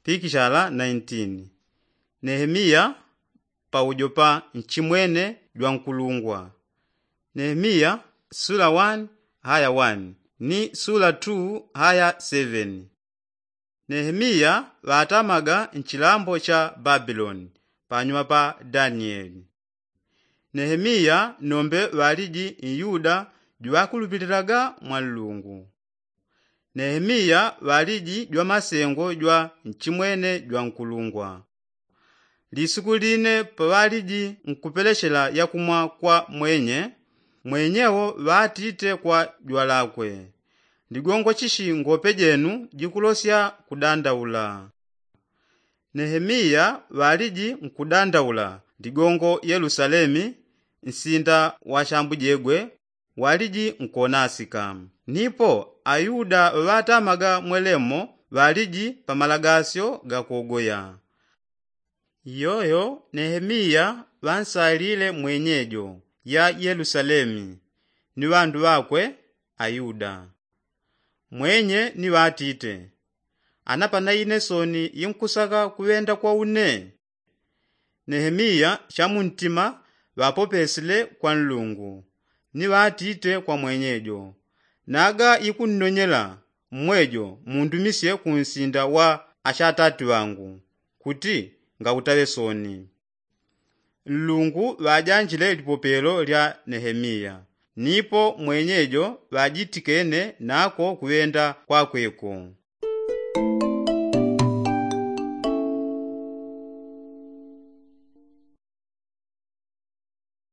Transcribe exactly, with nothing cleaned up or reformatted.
pikishala nineteen. Nehemiya paujo pa nchimwene jwa nkulungwa. Nehemiya sula one haya one ni sula two haya seven. Nehemiya ŵatamaga nchilambo cha babiloni panyuma pa danieli. Nehemiya nombe ŵaliji myuda jwakulupililaga mwa nlungu. Nehemiya ŵaliji jwa masengo jwa nchimwene jwa nkulungwa. Lisuku line paŵaliji nkupelechela yakumwa kwa mwenye, mwenyewo ŵatite kwa jwalakwe, ligongo chishi ngope jenu jikulosya kudandaula? Nehemiya ŵaliji nkudandaula ligongo yelusalemi, nsinda wa shambujegwe waliji nkonasika. Nipo ayuda ŵatamaga mwelemo ŵaliji pa malagasyo gakogoya. Iyoyo nehemiya ŵansalile mwenyejo ya yelusalemi ni ŵandu ŵakwe ayuda. Mwenye ni ŵatite, ana pana ine soni inkusaka kuŵenda kwa une? Nehemiya chamuntima ŵapopesile kwa nlungu, ni ŵatite kwa mwenyejo, naga ikunnonyela mmwejo mundumisye kunsinda wa ashatati ŵangu, kuti ngautaŵe soni. Nlungu ŵajanjile lipopelo lya nehemiya, nipo mwenyejo ŵajitikene nako kuŵenda kwakweko.